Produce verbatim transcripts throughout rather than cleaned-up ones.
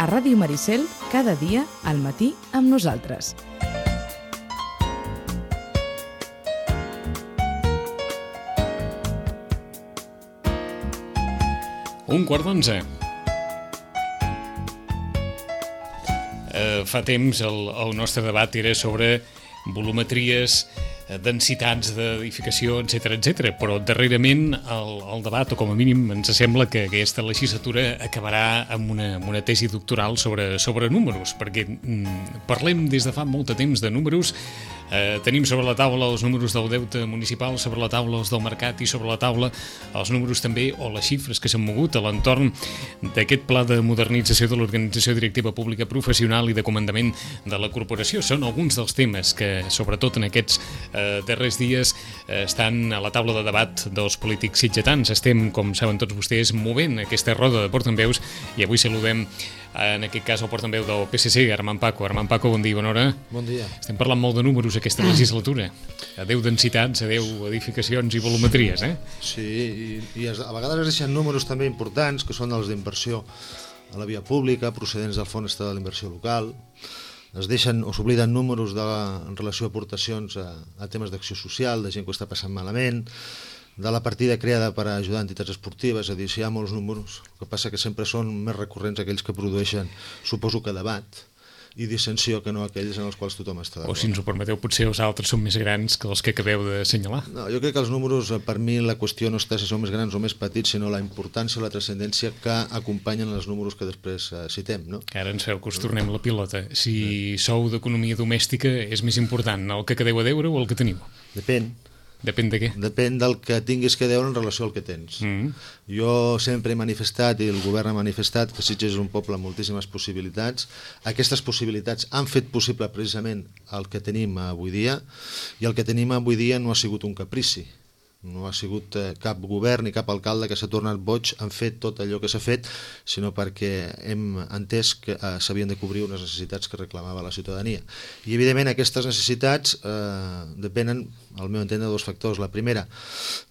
a Ràdio Maricel, cada dia al matí amb nosaltres. Un quart d'onze. Uh, fa temps el, el nostre debat era sobre volumetries, densitats d'edificació, etcètera, etcètera. Però darrerament el, el debat, o com a mínim ens sembla que aquesta legislatura acabarà amb una, amb una tesi doctoral sobre, sobre números, perquè mm, parlem des de fa molt de temps de números. Eh, tenim sobre la taula els números del deute municipal, sobre la taula els del mercat i sobre la taula els números també o les xifres que s'han mogut a l'entorn d'aquest pla de modernització de l'organització directiva pública professional i de comandament de la corporació. Són alguns dels temes que, sobretot en aquests eh, darrers dies, eh, estan a la taula de debat dels polítics sitgetans. Estem, com saben tots vostès, movent aquesta roda de portaveus i avui saludem en aquest cas el portaveu del P S C, Armand Paco. Armand Paco, bon dia, bona hora. Bon dia. Estem parlant molt de números aquesta legislatura. Adéu densitats, adéu edificacions i volumetries, eh? Sí, i, i a vegades es deixen números també importants, que són els d'inversió a la via pública, procedents del Fons Estatal d'Inversió Local. Es deixen o s'obliden números de, en relació a aportacions a, a temes d'acció social, de gent que ho està passant malament, de la partida creada per ajudar entitats esportives. És a dir, si hi ha molts números, el que passa que sempre són més recurrents aquells que produeixen, suposo que debat i dissensió, que no aquells en els quals tothom està d'acord. O si ens ho permeteu, potser els altres són més grans que els que acabeu d'assenyalar. No, jo crec que els números, per mi, la qüestió no està si són més grans o més petits, sinó la importància o la transcendència que acompanyen els números que després uh, citem, no? Que ara ens feu que us tornem la pilota. Si sou d'economia domèstica, és més important el que quedeu a deure o el que teniu? Depèn. Depèn de què? Depèn del que tinguis que deure en relació al que tens. Mm. Jo sempre he manifestat, i el govern ha manifestat, que Sitges és un poble amb moltíssimes possibilitats. Aquestes possibilitats han fet possible precisament el que tenim avui dia, i el que tenim avui dia no ha sigut un caprici. No ha sigut eh, cap govern ni cap alcalde que s'ha tornat boig, han fet tot allò que s'ha fet, sinó perquè hem entès que eh, s'havien de cobrir unes necessitats que reclamava la ciutadania. I evidentment aquestes necessitats eh, depenen, al meu entendre, de dos factors. La primera,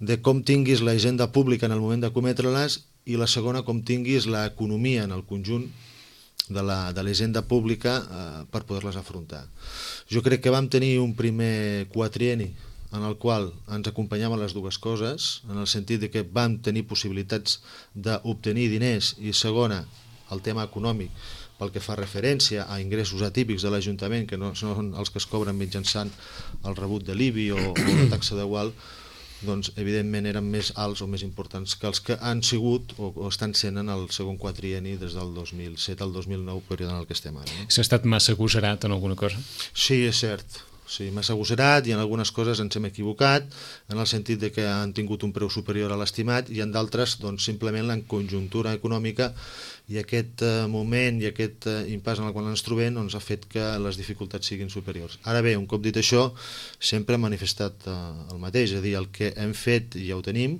de com tinguis la hisenda pública en el moment de cometre-les, i la segona, com tinguis l'economia en el conjunt de la, de la hisenda pública eh, per poder-les afrontar. Jo crec que vam tenir un primer quatrienni en el qual ens acompanyaven les dues coses, en el sentit de que vam tenir possibilitats d'obtenir diners, i segona, el tema econòmic, pel que fa referència a ingressos atípics de l'Ajuntament, que no són els que es cobren mitjançant el rebut de l'I B I o, o la taxa de gual, doncs evidentment eren més alts o més importants que els que han sigut o, o estan sent en el segon quatrienni des del dos mil set al dos mil nou, període en el que estem ara. No? S'ha estat massa agosarat en alguna cosa? Sí, és cert. Sí, massa agosserat, i en algunes coses ens hem equivocat, en el sentit de que han tingut un preu superior a l'estimat, i en d'altres doncs, simplement la conjuntura econòmica i aquest eh, moment i aquest eh, impàs en el qual ens trobem doncs, ha fet que les dificultats siguin superiors. Ara bé, un cop dit això, sempre hem manifestat eh, el mateix, és a dir, el que hem fet ja ho tenim,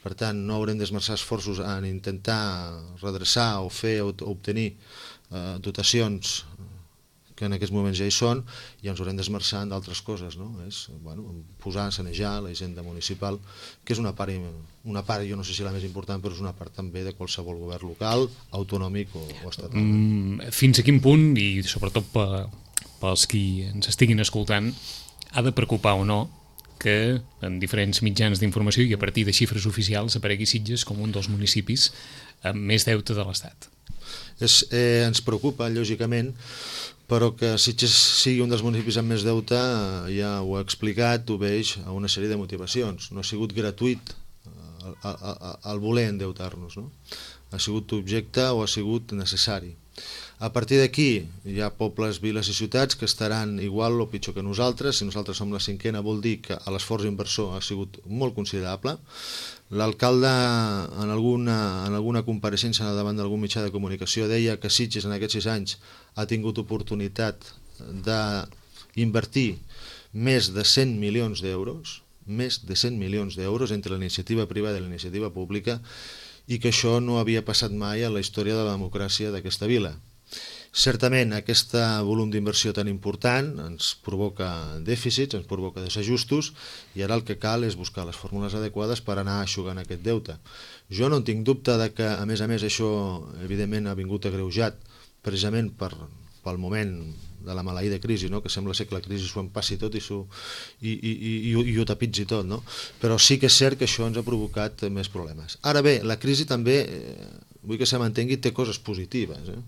per tant no haurem d'esmerçar esforços en intentar redreçar o fer o obtenir eh, dotacions que en aquests moments ja hi són, i ens haurem d'esmerçar en d'altres coses, no? És, bueno, posar, sanejar la hisenda municipal, que és una part, una part, jo no sé si la més important, però és una part també de qualsevol govern local, autonòmic o, o estatal. Mm, fins a quin punt, i sobretot pels qui ens estiguin escoltant, ha de preocupar o no que en diferents mitjans d'informació i a partir de xifres oficials aparegui Sitges com un dels municipis amb més deute de l'Estat? És, eh, ens preocupa, lògicament, però que Sitges sigui un dels municipis amb més deute, ja ho he explicat, obeix a una sèrie de motivacions. No ha sigut gratuït el voler endeutar-nos, no? Ha sigut objecte o ha sigut necessari. A partir d'aquí hi ha pobles, viles i ciutats que estaran igual o pitjor que nosaltres. Si nosaltres som la cinquena, vol dir que l'esforç inversor ha sigut molt considerable. L'alcalde en alguna, en alguna compareixença davant d'algun mitjà de comunicació deia que Sitges en aquests sis anys ha tingut oportunitat d'invertir més de cent milions d'euros, més de cent milions d'euros entre la iniciativa privada i la iniciativa pública, i que això no havia passat mai a la història de la democràcia d'aquesta vila. Certament, aquest volum d'inversió tan important ens provoca dèficits, ens provoca desajustos, i ara el que cal és buscar les fórmules adequades per anar eixugant aquest deute. Jo no en tinc dubte de que, a més a més, això evidentment ha vingut agreujat precisament per, pel moment de la maleïda crisi, no? Que sembla ser que la crisi s'ho empassi tot i, i, i, i, i, i ho tapitzi tot, no? Però sí que és cert que això ens ha provocat més problemes. Ara bé, la crisi també, eh, vull que se m'entengui, té coses positives. Eh?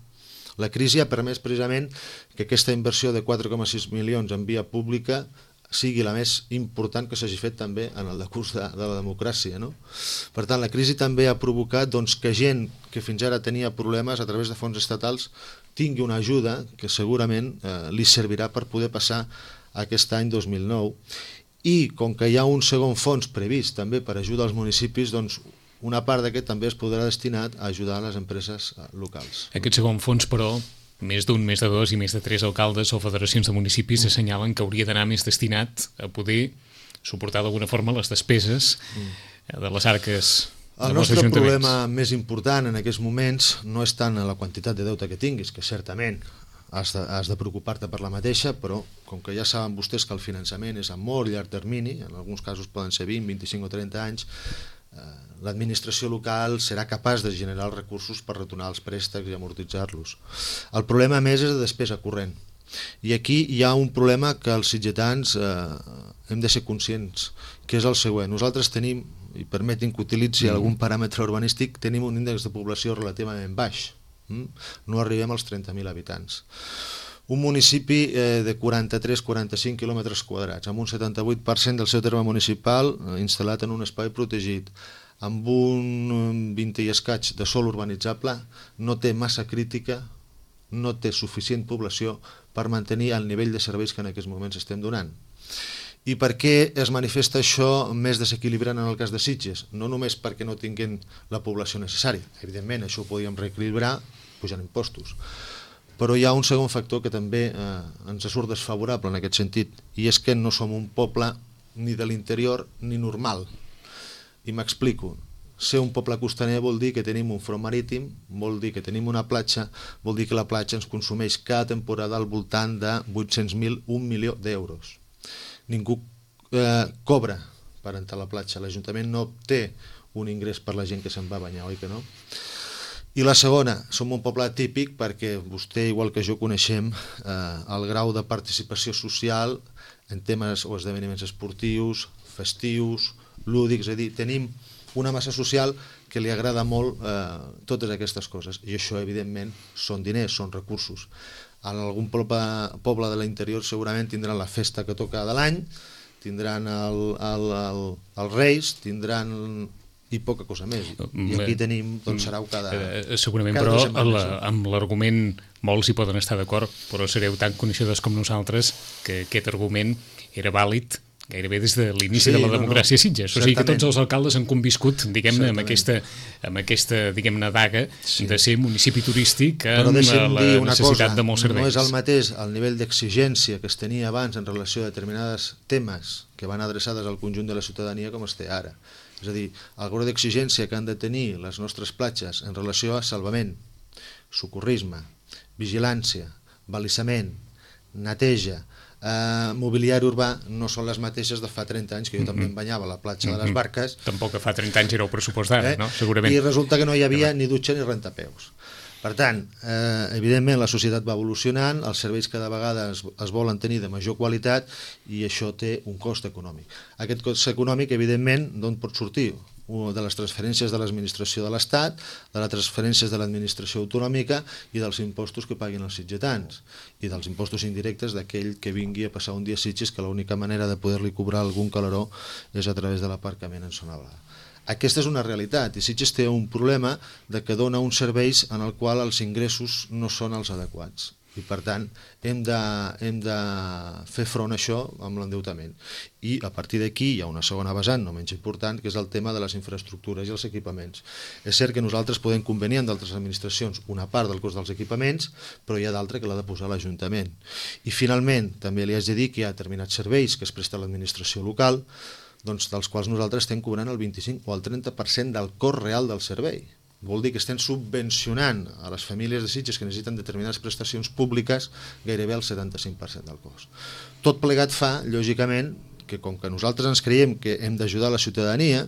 La crisi ha permès precisament que aquesta inversió de quatre coma sis milions en via pública sigui la més important que s'hagi fet també en el decurs de, de la democràcia. No? Per tant, la crisi també ha provocat doncs, que gent que fins ara tenia problemes a través de fons estatals tingui una ajuda que segurament eh, li servirà per poder passar aquest any dos mil nou. I com que hi ha un segon fons previst també per ajudar als municipis, doncs una part d'aquest també es podrà destinar a ajudar a les empreses locals. Aquest segon fons, però, més d'un, més de dos i més de tres alcaldes o federacions de municipis mm. assenyalen que hauria d'anar més destinat a poder suportar d'alguna forma les despeses mm. de les arques el nostre problema més important en aquests moments no és tant la quantitat de deute que tinguis, que certament has de, has de preocupar-te per la mateixa, però com que ja saben vostès que el finançament és a molt llarg termini, en alguns casos poden ser vint, vint-i-cinc o trenta anys, eh, l'administració local serà capaç de generar els recursos per retornar els préstecs i amortitzar-los. El problema més és de despesa corrent. I aquí hi ha un problema que els sitgetans eh, hem de ser conscients, que és el següent. Nosaltres tenim, i permetin que utilitzi algun paràmetre urbanístic, tenim un índex de població relativament baix. No arribem als trenta mil habitants. Un municipi eh, de quaranta-tres a quaranta-cinc quilòmetres quadrats, amb un setanta-vuit per cent del seu terme municipal eh, instal·lat en un espai protegit, amb un vint i escaig de sòl urbanitzable, no té massa crítica, no té suficient població per mantenir el nivell de serveis que en aquests moments estem donant. I per què es manifesta això més desequilibrant en el cas de Sitges? No només perquè no tinguin la població necessària, evidentment això ho podíem reequilibrar pujant impostos, però hi ha un segon factor que també eh, ens surt desfavorable en aquest sentit, i és que no som un poble ni de l'interior ni normal. I m'explico. Ser un poble costaner vol dir que tenim un front marítim, vol dir que tenim una platja, vol dir que la platja ens consumeix cada temporada al voltant de vuit-cents mil, un milió d'euros. Ningú eh, cobra per entrar a la platja, l'Ajuntament no té un ingrés per la gent que se'n va a banyar, oi que no? I la segona, som un poble típic perquè vostè, igual que jo, coneixem eh, el grau de participació social en temes o esdeveniments esportius, festius, lúdics, és a dir, tenim una massa social que li agrada molt eh, totes aquestes coses, i això evidentment són diners, són recursos. En algun poble, poble de l'interior segurament tindran la festa que toca de l'any, tindran el, el, el, els Reis, tindran i poca cosa més. I aquí tenim, doncs serà cada... Eh, segurament, cada però la, amb l'argument molts hi poden estar d'acord, però sereu tan coneixedors com nosaltres que aquest argument era vàlid gairebé des de l'inici sí, de la democràcia no, no. Sitges. O sigui que tots els alcaldes han conviscut, diguem-ne, amb aquesta, amb aquesta diguem-ne, daga sí. de ser municipi turístic amb la necessitat cosa, de molts serveis. No és el mateix el nivell d'exigència que es tenia abans en relació a determinats temes que van adreçades al conjunt de la ciutadania com es té ara. És a dir, el grau d'exigència que han de tenir les nostres platges en relació a salvament, socorrisme, vigilància, balissament, neteja, Uh, mobiliari urbà no són les mateixes de fa trenta anys, que jo mm -hmm. també em banyava a la platja mm -hmm. de les Barques. Tampoc que fa trenta anys era el pressupost d'ara, eh? no? Segurament. I resulta que no hi havia ni dutxa ni rentapeus. Per tant, eh, evidentment la societat va evolucionant, els serveis cada vegada es, es volen tenir de major qualitat i això té un cost econòmic. Aquest cost econòmic, evidentment, d'on pot sortir? De les transferències de l'administració de l'Estat, de les transferències de l'administració autonòmica i dels impostos que paguin els sitgetans i dels impostos indirectes d'aquell que vingui a passar un dia a Sitges, que l'única manera de poder-li cobrar algun calaró és a través de l'aparcament en zona blava. Aquesta és una realitat i Sitges té un problema de que dona uns serveis en el qual els ingressos no són els adequats i per tant hem de, hem de fer front a això amb l'endeutament. I a partir d'aquí hi ha una segona vessant no menys important, que és el tema de les infraestructures i els equipaments. És cert que nosaltres podem convenir amb d'altres administracions una part del cost dels equipaments, però hi ha d'altra que l'ha de posar l'Ajuntament. I finalment també li haig de dir que hi ha determinats serveis que es presta a l'administració local, doncs dels quals nosaltres estem cobrant el vint-i-cinc o el trenta per cent del cost real del servei. Vol dir que estem subvencionant a les famílies de Sitges que necessiten determinades prestacions públiques gairebé el setanta-cinc per cent del cost. Tot plegat fa, lògicament, que com que nosaltres ens creiem que hem d'ajudar la ciutadania,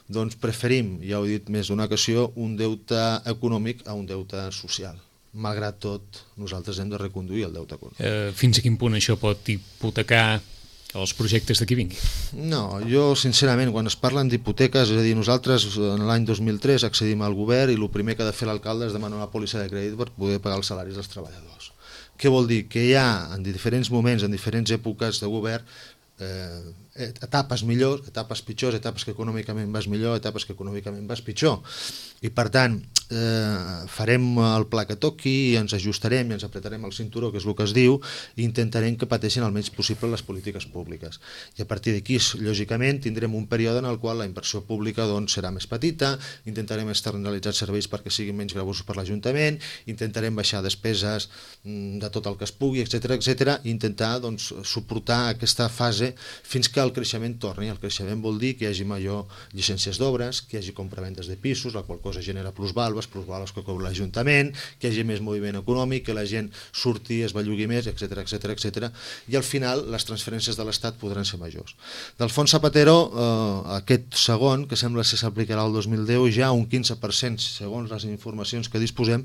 doncs preferim, ja ho he dit més d'una ocasió, un deute econòmic a un deute social. malgrat tot, nosaltres hem de reconduir el deute econòmic. Eh, fins a quin punt això pot hipotecar els projectes de qui vingui? No, jo sincerament, quan es parlen d'hipoteques, és a dir, nosaltres en l'any dos mil tres accedim al govern i el primer que ha de fer l'alcalde és demanar una pòlissa de crèdit per poder pagar els salaris dels treballadors. Què vol dir? Que hi ha en diferents moments, en diferents èpoques de govern, eh, etapes millors, etapes pitjors, etapes que econòmicament vas millor, etapes que econòmicament vas pitjor. I per tant, eh, farem el pla que toqui i ens ajustarem i ens apretarem el cinturó, que és el que es diu, i intentarem que pateixin el menys possible les polítiques públiques. I a partir d'aquí, lògicament, tindrem un període en el qual la inversió pública doncs, serà més petita, intentarem externalitzar serveis perquè siguin menys gravosos per l'Ajuntament, intentarem baixar despeses de tot el que es pugui, etcètera, etcètera, i intentar doncs, suportar aquesta fase fins que el creixement torni. El creixement vol dir que hi hagi major llicències d'obres, que hi hagi compravendes de pisos, la qual cosa genera plusvàlues, plusvàlues que cobra l'Ajuntament, que hi hagi més moviment econòmic, que la gent surti, es bellugui més, etcètera, etcètera, etcètera. I al final les transferències de l'Estat podran ser majors. Del Fons Zapatero, eh, aquest segon, que sembla que s'aplicarà el dos mil deu, ja un quinze per cent, segons les informacions que disposem,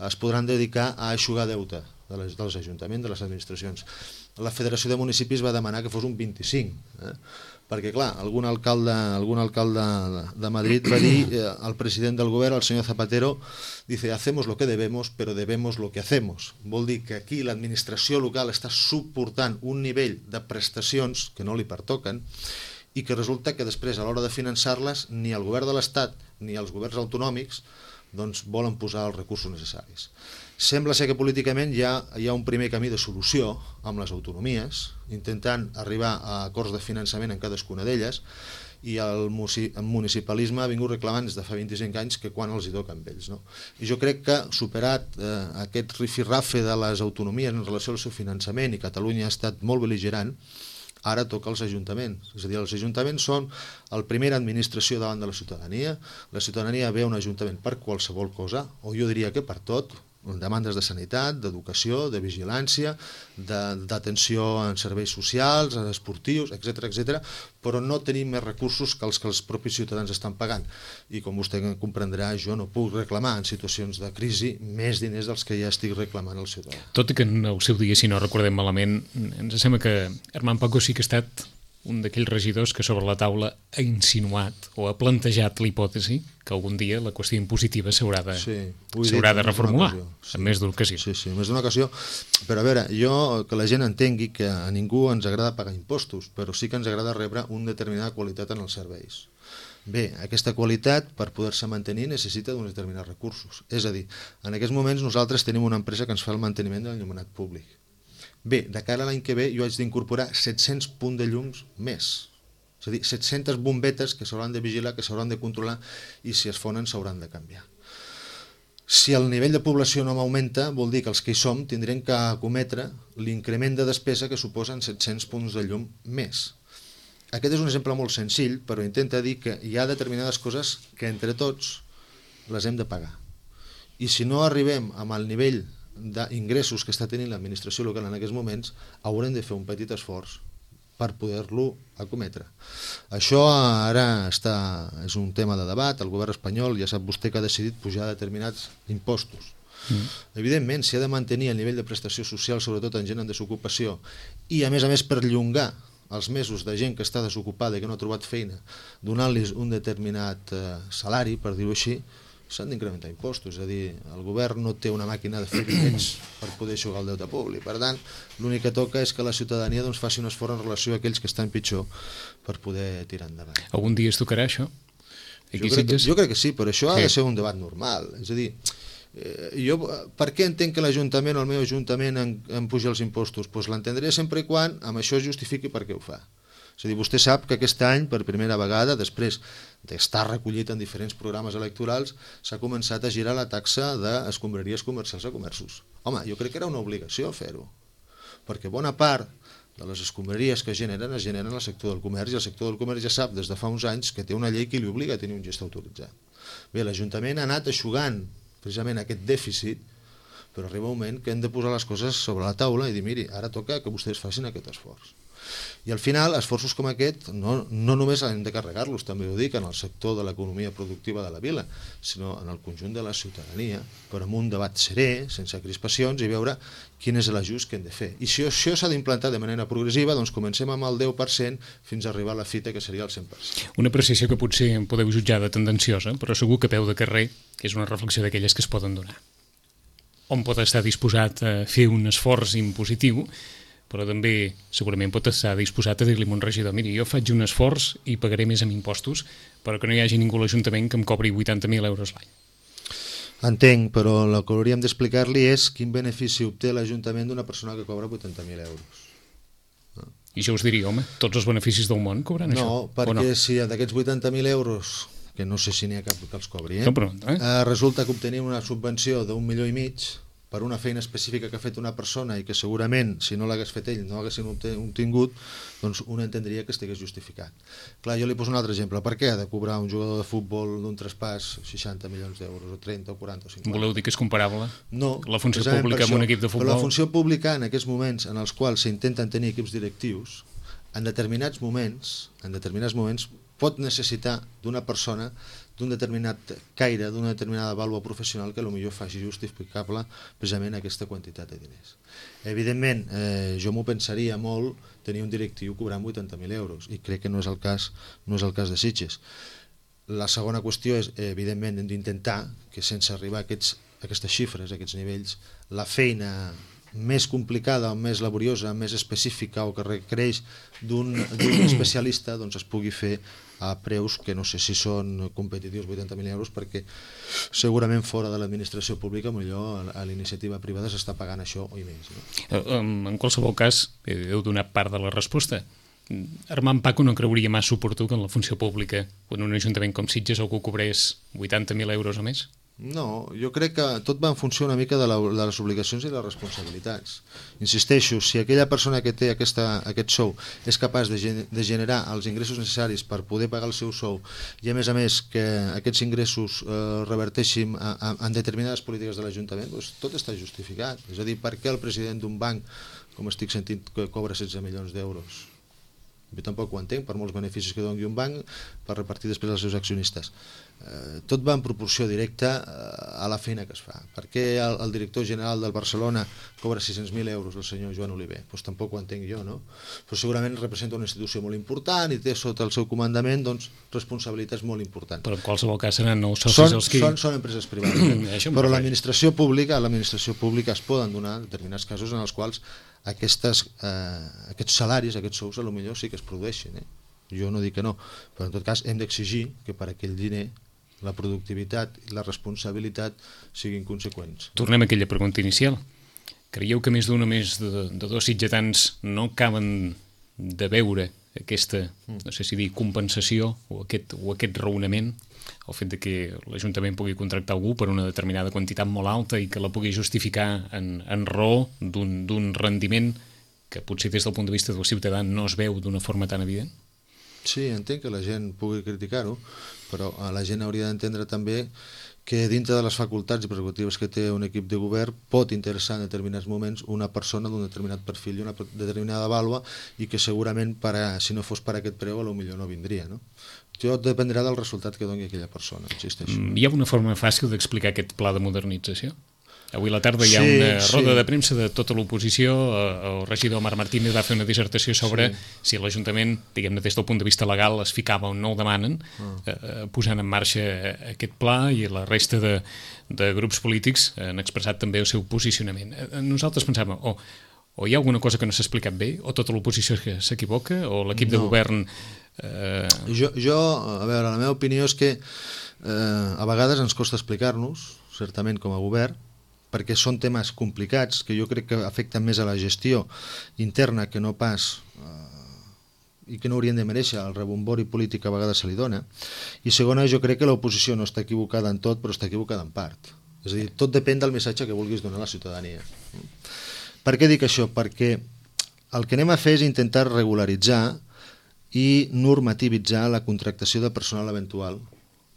es podran dedicar a eixugar deute de les, dels ajuntaments, de les administracions. La Federació de Municipis va demanar que fos un vint-i-cinc, eh? perquè clar, algun alcalde, algun alcalde de Madrid va dir eh, al president del govern, el senyor Zapatero, dice, hacemos lo que debemos, pero debemos lo que hacemos. Vol dir que aquí l'administració local està suportant un nivell de prestacions que no li pertoquen i que resulta que després, a l'hora de finançar-les, ni el govern de l'Estat ni els governs autonòmics doncs, volen posar els recursos necessaris. Sembla ser que políticament hi ha, hi ha un primer camí de solució amb les autonomies, intentant arribar a acords de finançament en cadascuna d'elles, i el municipalisme ha vingut reclamant des de fa vint-i-cinc anys que quan els hi toca amb ells. No? I jo crec que, superat eh, aquest rifirrafe de les autonomies en relació al seu finançament, i Catalunya ha estat molt bel·ligerant, ara toca als ajuntaments. És a dir, els ajuntaments són la primera administració davant de la ciutadania. La ciutadania ve a un ajuntament per qualsevol cosa, o jo diria que per tot, demandes de sanitat, d'educació, de vigilància, d'atenció en serveis socials, esportius, etcètera, etcètera, però no tenim més recursos que els que els propis ciutadans estan pagant. I com vostè comprendrà, jo no puc reclamar en situacions de crisi més diners dels que ja estic reclamant al ciutadà. Tot i que en el seu dia, si no recordem malament, ens sembla que Armand Paco sí que ha estat un d'aquells regidors que sobre la taula ha insinuat o ha plantejat la hipòtesi que algun dia la qüestió impositiva s'haurà de, sí, s'haurà de reformular, sí, en més d'una ocasió. Sí, sí, en més d'una ocasió. Però a veure, jo que la gent entengui que a ningú ens agrada pagar impostos, però sí que ens agrada rebre una determinada qualitat en els serveis. Bé, aquesta qualitat, per poder-se mantenir, necessita d'uns determinats recursos. És a dir, en aquests moments nosaltres tenim una empresa que ens fa el manteniment de l'enllumenat públic. Bé, de cara a l'any que ve jo haig d'incorporar set-cents punts de llums més. És a dir, set-centes bombetes que s'hauran de vigilar, que s'hauran de controlar i si es fonen s'hauran de canviar. Si el nivell de població no m'augmenta, vol dir que els que hi som tindrem que acometre l'increment de despesa que suposen set-cents punts de llum més. Aquest és un exemple molt senzill, però intenta dir que hi ha determinades coses que entre tots les hem de pagar. I si no arribem amb el nivell d'ingressos que està tenint l'administració local en aquests moments, haurem de fer un petit esforç per poder-lo acometre. Això ara està, és un tema de debat. El govern espanyol ja sap vostè que ha decidit pujar determinats impostos. Mm. Evidentment, si ha de mantenir el nivell de prestació social, sobretot en gent en desocupació, i a més a més perllongar els mesos de gent que està desocupada i que no ha trobat feina, donant-los un determinat eh, salari, per dir-ho així, s'han d'incrementar impostos. És a dir, el govern no té una màquina de fer diners per poder eixugar el deute públic. Per tant, l'únic que toca és que la ciutadania doncs, faci un esforç en relació a aquells que estan pitjor per poder tirar endavant. Algun dia es tocarà això? Jo crec, que, jo crec que sí, però això ha de ser un debat normal. És a dir, eh, jo per què entenc que l'Ajuntament o el meu Ajuntament en, en puja els impostos? Doncs l'entendré sempre i quan amb això es justifiqui per què ho fa. És a dir, vostè sap que aquest any, per primera vegada, després d'estar recollit en diferents programes electorals, s'ha començat a girar la taxa d'escombraries comercials a comerços. Home, jo crec que era una obligació fer-ho, perquè bona part de les escombraries que generen es generen al sector del comerç, i el sector del comerç ja sap des de fa uns anys que té una llei que li obliga a tenir un gest autoritzat. Bé, l'Ajuntament ha anat eixugant precisament aquest dèficit, però arriba un moment que hem de posar les coses sobre la taula i dir, miri, ara toca que vostès facin aquest esforç. I al final, esforços com aquest no, no només hem de carregar-los, també ho dic, en el sector de l'economia productiva de la vila, sinó en el conjunt de la ciutadania, però amb un debat serè, sense crispacions, i veure quin és l'ajust que hem de fer. I si això s'ha d'implantar de manera progressiva, doncs comencem amb el deu per cent fins a arribar a la fita, que seria el cent per cent. Una apreciació que potser podeu jutjar de tendenciosa, però segur que a peu de carrer és una reflexió d'aquelles que es poden donar. On pot estar disposat a fer un esforç impositiu, però també segurament pot estar disposat a dir-li a un regidor, miri, jo faig un esforç i pagaré més amb impostos, però que no hi hagi ningú a l'Ajuntament que em cobri vuitanta mil euros l'any. Entenc, però el que hauríem d'explicar-li és quin benefici obté l'Ajuntament d'una persona que cobra vuitanta mil euros. No? I jo us diria, home, tots els beneficis del món cobren no, això? Perquè no, perquè si d'aquests vuitanta mil euros, que no sé si n'hi ha cap que els cobri, eh? No, però, eh? Eh, resulta que obtenim una subvenció d'un milió i mig per una feina específica que ha fet una persona i que segurament, si no l'hagués fet ell, no haguessin obtingut, doncs un entendria que estigués justificat. Clar, jo li poso un altre exemple. Per què ha de cobrar un jugador de futbol d'un traspàs seixanta milions d'euros, o trenta, o quaranta, o cinquanta? Voleu dir que és comparable? No. La funció pública amb un equip de futbol? Però la funció pública, en aquests moments en els quals s'intenten tenir equips directius, en determinats moments, en determinats moments, pot necessitar d'una persona d'un determinat caire, d'una determinada vàlua professional que potser faci justificable precisament aquesta quantitat de diners. Evidentment, eh, jo m'ho pensaria molt tenir un directiu cobrant vuitanta mil euros, i crec que no és el cas, no és el cas de Sitges. La segona qüestió és, evidentment, hem d'intentar que sense arribar a aquests, a aquestes xifres, a aquests nivells, la feina més complicada, més laboriosa, més específica o que requereix d'un especialista, doncs es pugui fer a preus que no sé si són competitius, vuitanta mil euros, perquè segurament fora de l'administració pública millor a la iniciativa privada s'està pagant això o i més. No? En qualsevol cas, heu donat part de la resposta. Armand Paco no creuria massa oportú que en la funció pública, quan un ajuntament com Sitges algú cobrés vuitanta mil euros o més? No, jo crec que tot va en funció una mica de, la, de les obligacions i les responsabilitats. Insisteixo, si aquella persona que té aquesta, aquest sou és capaç de, gen de generar els ingressos necessaris per poder pagar el seu sou i a més a més que aquests ingressos eh, reverteixin a, a, en determinades polítiques de l'Ajuntament, doncs tot està justificat. És a dir, per què el president d'un banc, com estic sentint, que cobra setze milions d'euros? Jo tampoc ho entenc, per molts beneficis que doni un banc per repartir després als seus accionistes. Eh, tot va en proporció directa a la feina que es fa. Per què el, el director general del Barcelona cobra sis-cents mil euros, el senyor Joan Oliver? Pues tampoc ho entenc jo, no? Però segurament representa una institució molt important i té sota el seu comandament doncs, responsabilitats molt importants. Però en qualsevol cas seran nous socis són, els que... Són, són empreses privades. Eh? Però l'administració pública, a l'administració pública es poden donar determinats casos en els quals aquestes, eh, aquests salaris, aquests sous, a lo millor sí que es produeixen. Eh? Jo no dic que no, però en tot cas hem d'exigir que per aquell diner la productivitat i la responsabilitat siguin conseqüents. Tornem a aquella pregunta inicial. Creieu que més d'un o més de, de dos sitgetans no acaben de veure aquesta, no sé si dir, compensació o aquest, o aquest raonament, el fet de que l'Ajuntament pugui contractar algú per una determinada quantitat molt alta i que la pugui justificar en, en raó d'un rendiment que potser des del punt de vista del ciutadà no es veu d'una forma tan evident? Sí, entenc que la gent pugui criticar-ho, però la gent hauria d'entendre també que dintre de les facultats i prerrogatives que té un equip de govern pot interessar en determinats moments una persona d'un determinat perfil i una determinada vàlua i que segurament per a, si no fos per aquest preu potser no vindria. No? Jo dependrà del resultat que doni aquella persona, insisteixo. Hi ha una forma fàcil d'explicar aquest pla de modernització? Avui a la tarda hi ha sí, una roda sí. de premsa de tota l'oposició. El regidor Marc Martínez va fer una dissertació sobre sí. si l'Ajuntament, diguem-ne des del punt de vista legal, es ficava o no el demanen, ah. eh, posant en marxa aquest pla, i la resta de, de grups polítics han expressat també el seu posicionament. Nosaltres pensàvem, o, o hi ha alguna cosa que no s'ha explicat bé, o tota l'oposició s'equivoca, o l'equip no. de govern... Eh... Jo, jo, a veure, la meva opinió és que eh, a vegades ens costa explicar-nos, certament com a govern, perquè són temes complicats que jo crec que afecten més a la gestió interna que no pas eh, i que no haurien de mereixer el rebombori polític que a vegades se li dona. I segona, jo crec que l'oposició no està equivocada en tot, però està equivocada en part. És a dir, tot depèn del missatge que vulguis donar a la ciutadania. Per què dic això? Perquè el que anem a fer és intentar regularitzar i normativitzar la contractació de personal eventual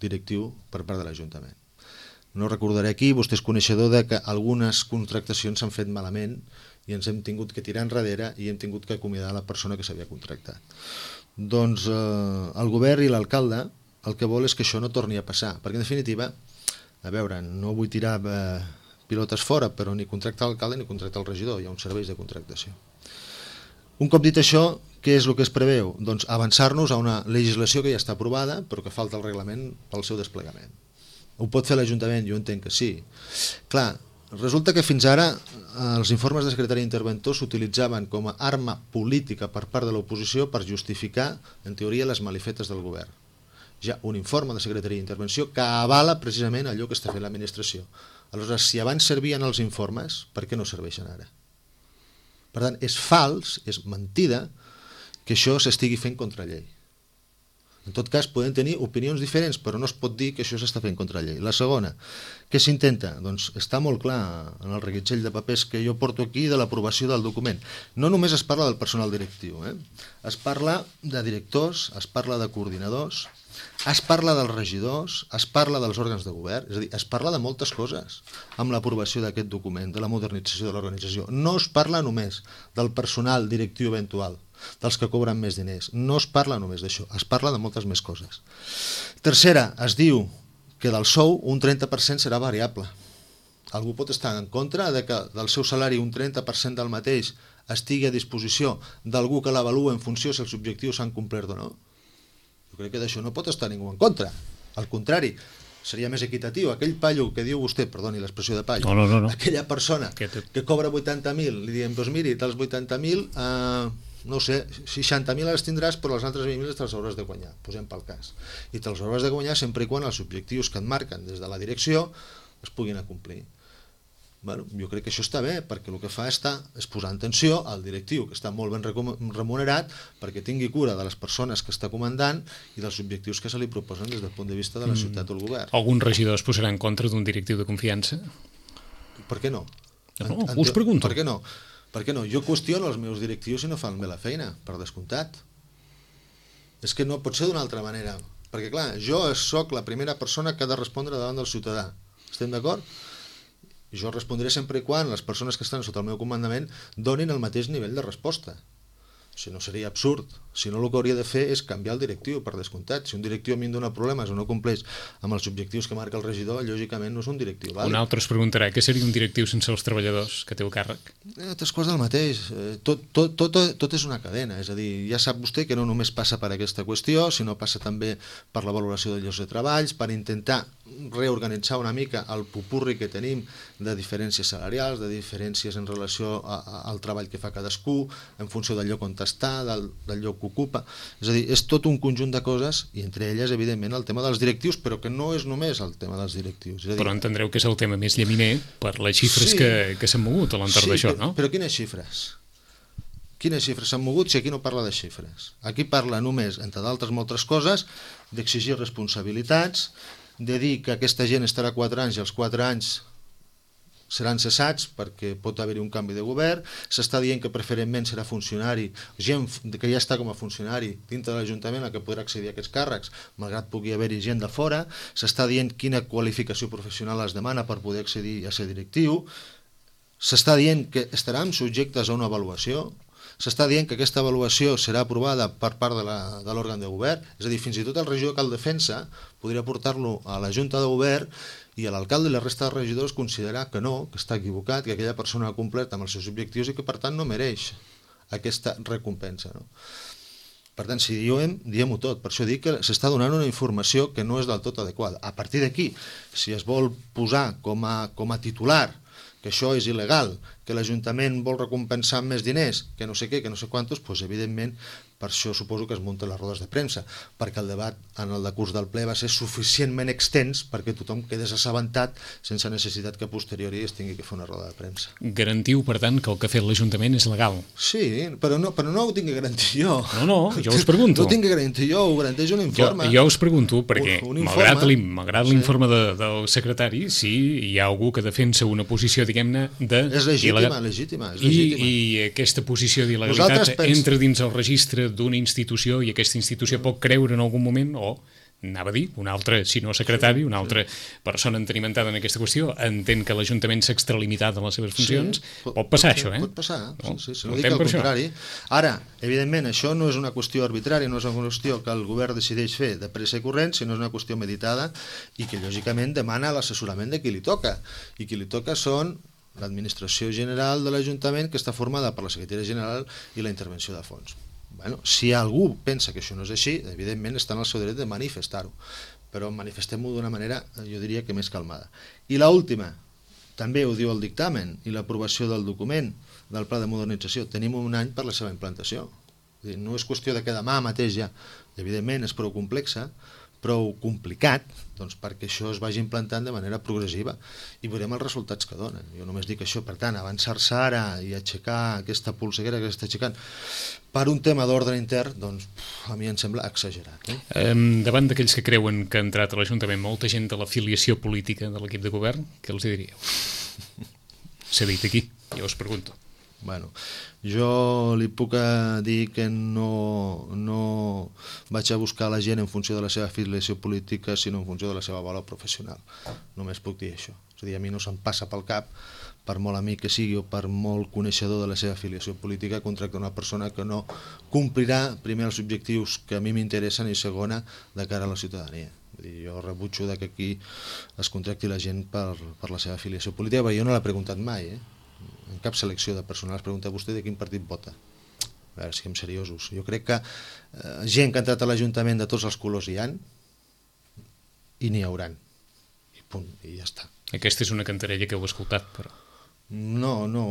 directiu per part de l'Ajuntament. no recordaré aquí, vostè és coneixedor de que algunes contractacions s'han fet malament i ens hem tingut que tirar enrere i hem tingut que acomiadar la persona que s'havia contractat. Doncs eh, el govern i l'alcalde el que vol és que això no torni a passar, perquè en definitiva, a veure, no vull tirar eh, pilotes fora, però ni contracta l'alcalde ni contracta el regidor, hi ha uns serveis de contractació. Un cop dit això, què és el que es preveu? Doncs avançar-nos a una legislació que ja està aprovada, però que falta el reglament pel seu desplegament. Ho pot fer l'Ajuntament? Jo entenc que sí. Clar, resulta que fins ara els informes de secretari interventor s'utilitzaven com a arma política per part de l'oposició per justificar, en teoria, les malifetes del govern. Hi ha un informe de secretaria d'intervenció que avala precisament allò que està fent l'administració. Aleshores, si abans servien els informes, per què no serveixen ara? Per tant, és fals, és mentida, que això s'estigui fent contra llei. En tot cas, podem tenir opinions diferents, però no es pot dir que això s'està fent contra llei. La segona, què s'intenta? Doncs està molt clar en el reguitzell de papers que jo porto aquí de l'aprovació del document. No només es parla del personal directiu, eh? Es parla de directors, es parla de coordinadors, es parla dels regidors, es parla dels òrgans de govern, és a dir, es parla de moltes coses amb l'aprovació d'aquest document, de la modernització de l'organització. No es parla només del personal directiu eventual, dels que cobren més diners. No es parla només d'això, es parla de moltes més coses. Tercera, es diu que del sou un trenta per cent serà variable. Algú pot estar en contra de que del seu salari un trenta per cent del mateix estigui a disposició d'algú que l'avalua en funció si els objectius s'han complert o no? Jo crec que d'això no pot estar ningú en contra. Al contrari, seria més equitatiu. Aquell paio que diu vostè, perdoni l'expressió de paio, no, no, no, no. aquella persona que, que cobra vuitanta mil, li diem, doncs miri, dels vuitanta mil, eh, no sé, seixanta mil les tindràs, però les altres vint mil te'ls hauràs de guanyar, posem pel cas. I te'ls hauràs de guanyar sempre i quan els objectius que et marquen des de la direcció es puguin acomplir. Bueno, jo crec que això està bé, perquè el que fa està, és posar en tensió al directiu, que està molt ben remunerat, perquè tingui cura de les persones que està comandant i dels objectius que se li proposen des del punt de vista de la ciutat o el govern. Algun regidor es posarà en contra d'un directiu de confiança? Per què no? No, no us pregunto. Per què no? Per què no? Jo qüestiono els meus directius si no fan bé la feina, per descomptat. És que no pot ser d'una altra manera. Perquè, clar, jo sóc la primera persona que ha de respondre davant del ciutadà. Estem d'acord? I jo respondré sempre i quan les persones que estan sota el meu comandament donin el mateix nivell de resposta. Si no, seria absurd. Si no, el que hauria de fer és canviar el directiu, per descomptat. Si un directiu a mi em dona problemes o no compleix amb els objectius que marca el regidor, lògicament no és un directiu vàlid. Un altre es preguntarà què seria un directiu sense els treballadors que té el càrrec? Eh, Tres coses del mateix. Eh, tot, tot, tot, tot és una cadena. És a dir, ja sap vostè que no només passa per aquesta qüestió, sinó passa també per la valoració de llocs de treballs, per intentar reorganitzar una mica el pupurri que tenim de diferències salarials, de diferències en relació a, a, al treball que fa cadascú, en funció del lloc on està, del, del lloc que ocupa. És a dir, és tot un conjunt de coses, i entre elles, evidentment, el tema dels directius, però que no és només el tema dels directius. És a dir, però entendreu que és el tema més llaminer per les xifres sí, que, que s'han mogut a l'entorn sí, d'això, però, no? Però quines xifres? Quines xifres s'han mogut si aquí no parla de xifres? Aquí parla només, entre d'altres moltes coses, d'exigir responsabilitats, de dir que aquesta gent estarà quatre anys i els quatre anys seran cessats perquè pot haver-hi un canvi de govern. S'està dient que preferentment serà funcionari, gent que ja està com a funcionari dintre de l'Ajuntament a que podrà accedir a aquests càrrecs, malgrat pugui haver-hi gent de fora. S'està dient quina qualificació professional es demana per poder accedir a ser directiu. S'està dient que estaran subjectes a una avaluació. S'està dient que aquesta avaluació serà aprovada per part de l'òrgan de govern, és a dir, fins i tot el regidor que el defensa podria portar-lo a la Junta de Govern i l'alcalde i la resta de regidors considerar que no, que està equivocat, que aquella persona ha complert amb els seus objectius i que per tant no mereix aquesta recompensa, no? Per tant, si diem, diem-ho tot. Per això dic que s'està donant una informació que no és del tot adequada. A partir d'aquí, si es vol posar com a, com a titular que això és il·legal, que l'Ajuntament vol recompensar amb més diners, que no sé què, que no sé quantos, doncs evidentment per això suposo que es munten les rodes de premsa, perquè el debat en el decurs del ple va ser suficientment extens perquè tothom quedés assabentat sense necessitat que a posteriori es tingui que fer una roda de premsa. Garantiu, per tant, que el que ha fet l'Ajuntament és legal? Sí, però no, però no ho tinc que garantir jo. No, no, jo us pregunto. No ho tinc que garantir jo, ho garanteix un informe. Jo, jo us pregunto, perquè un, un malgrat l'informe sí. de, del secretari, sí, hi ha algú que defensa una posició, diguem-ne, de... És legítima, legítima, és legítima. I, I aquesta posició d'il·legalitat pens... entra dins el registre d'una institució i aquesta institució pot creure en algun moment o anava a dir, un altre, si no secretari, una altra persona entenimentada en aquesta qüestió, entén que l'Ajuntament s'ha extralimitat en les seves funcions, sí, pot, pot passar pot, això, eh? Pot passar, no? sí, sí, sí, no, no dic al contrari. Això. Ara, evidentment, això no és una qüestió arbitrària, no és una qüestió que el govern decideix fer de pressa i corrent, sinó és una qüestió meditada i que, lògicament, demana l'assessorament de qui li toca. I qui li toca són l'administració general de l'Ajuntament, que està formada per la secretaria general i la intervenció de fons. Bueno, si algú pensa que això no és així, evidentment està en el seu dret de manifestar-ho, però manifestem-ho d'una manera, jo diria que més calmada. I l'última, també ho diu el dictamen i l'aprovació del document del pla de modernització, tenim un any per la seva implantació. No és qüestió de que demà mateix ja, evidentment és prou complexa, prou complicat, doncs perquè això es vagi implantant de manera progressiva i veurem els resultats que donen. Jo només dic això, per tant, avançar-se ara i aixecar aquesta polseguera que s'està aixecant per un tema d'ordre intern, doncs a mi em sembla exagerat. Eh? Eh, davant d'aquells que creuen que ha entrat a l'Ajuntament molta gent de l'afiliació política de l'equip de govern, què els diríeu? S'ha dit aquí, jo us pregunto. Bueno, jo li puc dir que no, no vaig a buscar la gent en funció de la seva afiliació política, sinó en funció de la seva valor professional. Només puc dir això. És a dir, a mi no se'm passa pel cap, per molt amic que sigui o per molt coneixedor de la seva afiliació política, contractar una persona que no complirà primer els objectius que a mi m'interessen i segona de cara a la ciutadania. Vull dir, jo rebutjo que aquí es contracti la gent per, per la seva afiliació política, perquè jo no l'he preguntat mai, eh? En cap selecció de personal es pregunta a vostè de quin partit vota. A veure, siguem seriosos. Jo crec que eh, gent que ha entrat a l'Ajuntament de tots els colors hi han i n'hi hauran. I punt, i ja està. Aquesta és una cantarella que heu escoltat, però... No, no,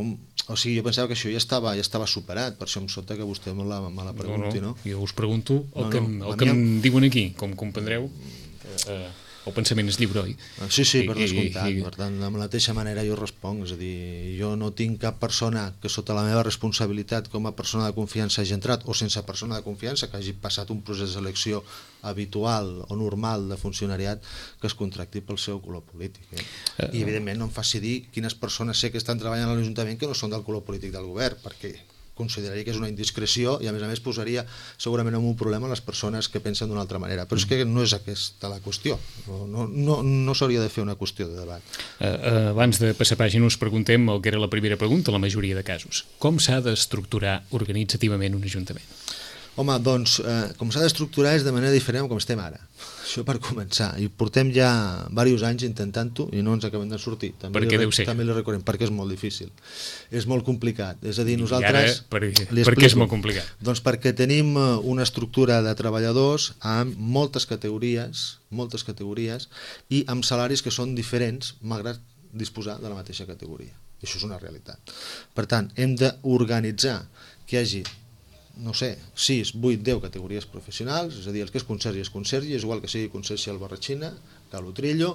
o sigui, jo pensava que això ja estava, ja estava superat, per això em sobta que vostè me la, me la pregunti, no? No, no, jo us pregunto el no, que, no, el que em diuen aquí, com comprendreu, eh, el pensament és lliure, oi? Sí, sí, per descomptat, per tant, de la mateixa manera jo responc, és a dir, jo no tinc cap persona que sota la meva responsabilitat com a persona de confiança hagi entrat, o sense persona de confiança, que hagi passat un procés de selecció habitual o normal de funcionariat, que es contracti pel seu color polític. Eh? I evidentment no em faci dir quines persones sé que estan treballant a l'Ajuntament que no són del color polític del govern, perquè consideraria que és una indiscreció i a més a més posaria segurament en un problema les persones que pensen d'una altra manera, però és que no és aquesta la qüestió, no, no, no s'hauria de fer una qüestió de debat. Uh, uh, abans de passar pàgina us preguntem el que era la primera pregunta, la majoria de casos. Com s'ha d'estructurar organitzativament un ajuntament? Home, doncs, eh, com s'ha d'estructurar és de manera diferent com estem ara. Això per començar. I portem ja diversos anys intentant-ho i no ens acabem de sortir. També per què li, deu ser? També li recordem, perquè és molt difícil. És molt complicat. És a dir, nosaltres... I ara, per, per què és molt complicat? Doncs perquè tenim una estructura de treballadors amb moltes categories, moltes categories, i amb salaris que són diferents, malgrat disposar de la mateixa categoria. Això és una realitat. Per tant, hem d'organitzar que hi hagi no sé, sis, vuit, deu categories professionals, és a dir, el que és consergi és consergi, és igual que sigui consergi al Barratxina, que a l'Utrillo,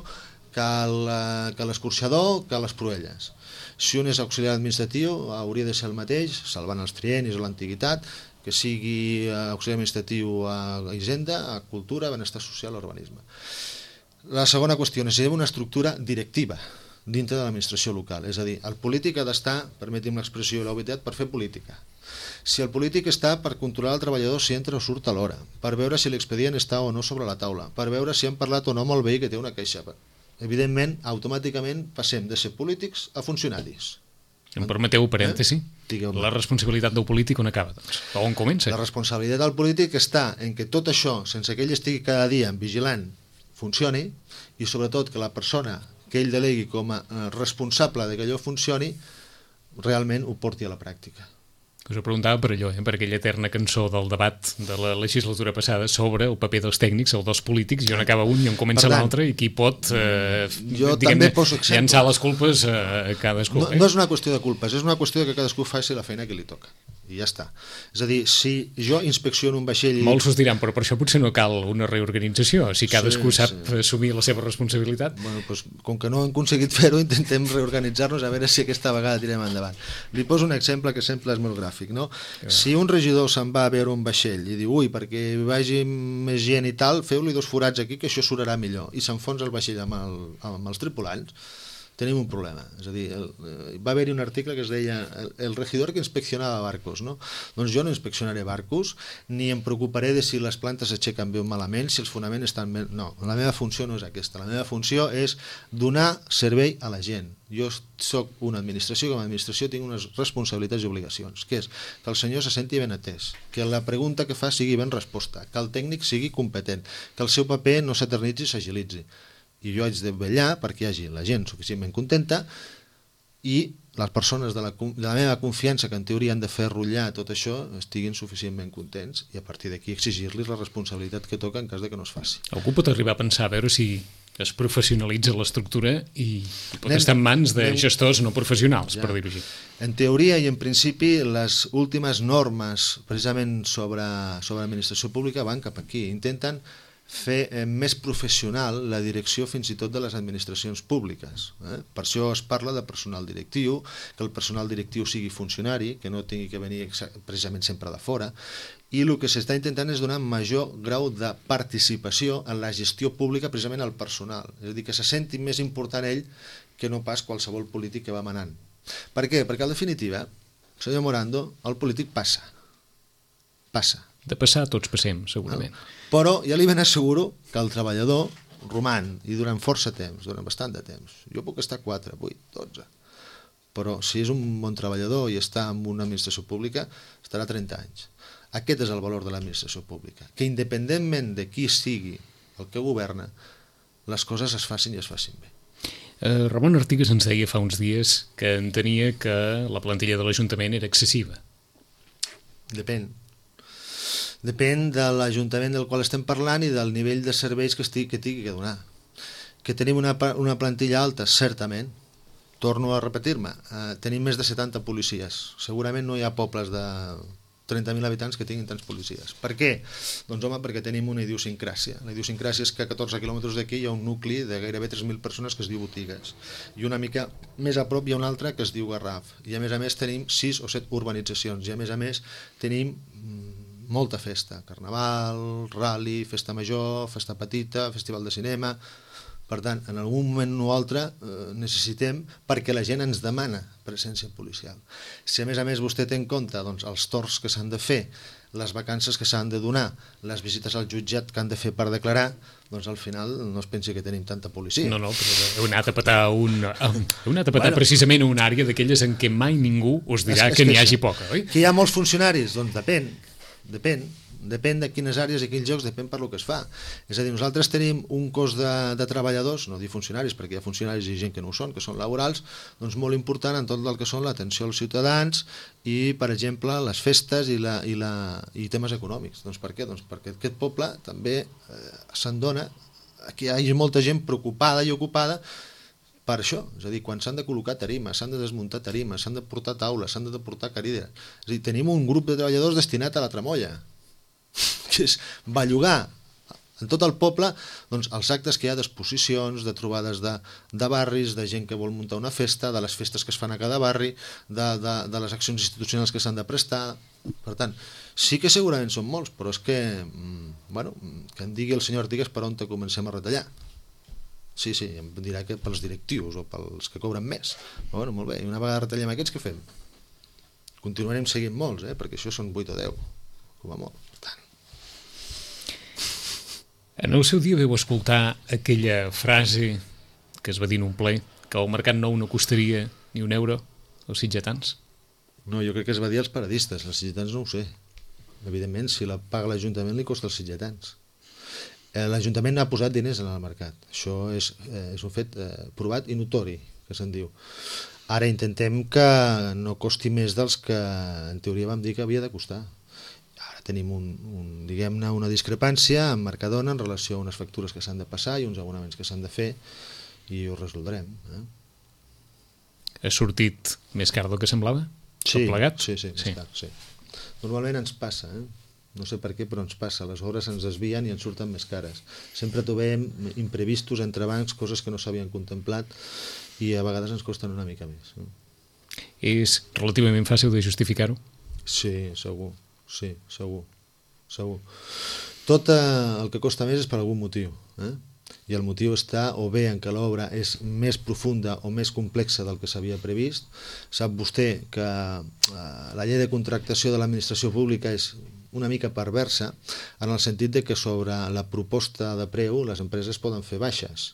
que l'escorxador, que a les Proelles. Si un és auxiliar administratiu, hauria de ser el mateix, salvant els triennis o l'antiguitat, que sigui auxiliar administratiu a Hisenda, a Cultura, Benestar Social o Urbanisme. La segona qüestió, necessitem una estructura directiva dintre de l'administració local, és a dir, el polític ha d'estar, permeti'm l'expressió i l'obvietat, per fer política. Si el polític està per controlar el treballador si entra o surt a l'hora, per veure si l'expedient està o no sobre la taula, per veure si han parlat o no amb el veí que té una queixa. Evidentment, automàticament passem de ser polítics a funcionaris. Em permeteu parèntesi? Eh? La responsabilitat del polític on acaba, doncs? O on comença? La responsabilitat del polític està en que tot això, sense que ell estigui cada dia vigilant, funcioni, i sobretot que la persona que ell delegui com a responsable de que allò funcioni realment ho porti a la pràctica. Us ho preguntava per allò, eh? per aquella eterna cançó del debat de la legislatura passada sobre el paper dels tècnics, el dels polítics, i on acaba un i on comença l'altre, i qui pot eh, jo també poso exemples. Llançar les culpes a cadascú. No, no és una qüestió de culpes, és una qüestió de que cadascú faci la feina que li toca. I ja està. És a dir, si jo inspecciono un vaixell... Molts us diran, però per això potser no cal una reorganització, si cadascú sí, sap sí. assumir la seva responsabilitat. Bueno, doncs, com que no hem aconseguit fer-ho, intentem reorganitzar-nos a veure si aquesta vegada tirem endavant. Li poso un exemple que sempre és molt gràfic, no? Que si un regidor se'n va a veure un vaixell i diu, ui, perquè vagi més gent i tal, feu-li dos forats aquí que això surarà millor, i s'enfonsa el vaixell amb, el, amb els tripulants, tenim un problema. És a dir, el, va haver-hi un article que es deia el, el regidor que inspeccionava barcos, no? Doncs jo no inspeccionaré barcos, ni em preocuparé de si les plantes s'aixequen bé o malament, si els fonaments estan bé... No, la meva funció no és aquesta. La meva funció és donar servei a la gent. Jo soc una administració, com a administració tinc unes responsabilitats i obligacions, que és que el senyor se senti ben atès, que la pregunta que fa sigui ben resposta, que el tècnic sigui competent, que el seu paper no s'eternitzi i s'agilitzi. I jo haig de vetllar perquè hi hagi la gent suficientment contenta i les persones de la, de la meva confiança, que en teoria han de fer rotllar tot això, estiguin suficientment contents, i a partir d'aquí exigir-los la responsabilitat que toca en cas de que no es faci. Algú pot arribar a pensar a veure si es professionalitza l'estructura i pot anem, estar en mans de anem, gestors no professionals, ja, per dir-ho així. En teoria i en principi les últimes normes precisament sobre, sobre l'administració pública van cap aquí, intenten fer eh, més professional la direcció fins i tot de les administracions públiques. Eh? Per això es parla de personal directiu, que el personal directiu sigui funcionari, que no tingui que venir precisament sempre de fora, i el que s'està intentant és donar major grau de participació en la gestió pública precisament al personal. És a dir, que se senti més important ell que no pas qualsevol polític que va manant. Per què? Perquè en definitiva, senyor Morando, el polític passa. Passa. De passar tots passem, segurament. No. Però ja li ben asseguro que el treballador roman, i durant força temps, durant bastant de temps. Jo puc estar quatre, vuit, dotze. Però si és un bon treballador i està en una administració pública, estarà trenta anys. Aquest és el valor de l'administració pública. Que independentment de qui sigui el que governa, les coses es facin i es facin bé. Eh, Ramon Artigas ens deia fa uns dies que entenia que la plantilla de l'Ajuntament era excessiva. Depèn. Depèn de l'Ajuntament del qual estem parlant i del nivell de serveis que estigui que tingui que donar. Que tenim una, una plantilla alta, certament. Torno a repetir-me, eh, tenim més de setanta policies. Segurament no hi ha pobles de trenta mil habitants que tinguin tants policies. Per què? Doncs home, perquè tenim una idiosincràsia. La idiosincràsia és que a catorze quilòmetres d'aquí hi ha un nucli de gairebé tres mil persones que es diu Botigues. I una mica més a prop hi ha un altre que es diu Garraf. I a més a més tenim sis o set urbanitzacions. I a més a més tenim molta festa, carnaval, rally, festa major, festa petita, festival de cinema. Per tant, en algun moment o altre eh, necessitem, perquè la gent ens demana presència policial. Si a més a més vostè té en compte doncs, els torns que s'han de fer, les vacances que s'han de donar, les visites al jutjat que han de fer per declarar, doncs al final no es pensi que tenim tanta policia. No, no, però heu anat a petar, un, heu anat a petar bueno, precisament una àrea d'aquelles en què mai ningú us dirà és, és que, que n'hi hagi poca, oi? Que hi ha molts funcionaris? Doncs depèn, depèn. Depèn de quines àrees i quins llocs, depèn per lo que es fa. És a dir, nosaltres tenim un cos de, de treballadors, no dir funcionaris, perquè hi ha funcionaris i gent que no ho són, que són laborals, doncs molt important en tot el que són l'atenció als ciutadans i, per exemple, les festes i, la, i, la, i temes econòmics. Doncs per què? Doncs perquè aquest poble també eh, se'n dona que hi hagi molta gent preocupada i ocupada per això, és a dir, quan s'han de col·locar tarimes, s'han de desmuntar tarimes, s'han de portar taules, s'han de portar cadires. És a dir, tenim un grup de treballadors destinat a la tramolla, que és bellugar en tot el poble doncs, els actes que hi ha d'exposicions, de trobades de, de barris, de gent que vol muntar una festa, de les festes que es fan a cada barri, de, de, de les accions institucionals que s'han de prestar. Per tant, sí que segurament són molts, però és que, bueno, que em digui el senyor Artigas per on te comencem a retallar. Sí, sí, em dirà que pels directius o pels que cobren més. Però, bueno, molt bé, i una vegada retallem aquests, què fem? Continuarem seguint molts, eh? Perquè això són vuit o deu, com a molt. Per tant, en el seu dia veu escoltar aquella frase que es va dir en un ple, que el mercat nou no costaria ni un euro als sitgetans? No, jo crec que es va dir als paradistes, als sitgetans no ho sé. Evidentment, si la paga l'Ajuntament li costa als sitgetans. Eh, L'Ajuntament ha posat diners en el mercat. Això és, eh, és un fet eh, provat i notori, que se'n diu. Ara intentem que no costi més dels que en teoria vam dir que havia de costar. Tenim un, un, diguem-ne, una discrepància amb Mercadona en relació a unes factures que s'han de passar i uns abonaments que s'han de fer i ho resoldrem. Eh? Ha sortit més car del que semblava? Sí, plegat? sí, sí, sí. Car, sí. Normalment ens passa, eh? No sé per què, però ens passa. Les hores ens desvien i ens surten més cares. Sempre trobem imprevistos entre bancs, coses que no s'havien contemplat i a vegades ens costen una mica més. Eh? És relativament fàcil de justificar-ho? Sí, segur. Sí, segur, segur. Tot eh, el que costa més és per algun motiu. Eh? i el motiu està o bé en què l'obra és més profunda o més complexa del que s'havia previst. Sap vostè que eh, la llei de contractació de l'administració pública és una mica perversa en el sentit de que sobre la proposta de preu les empreses poden fer baixes.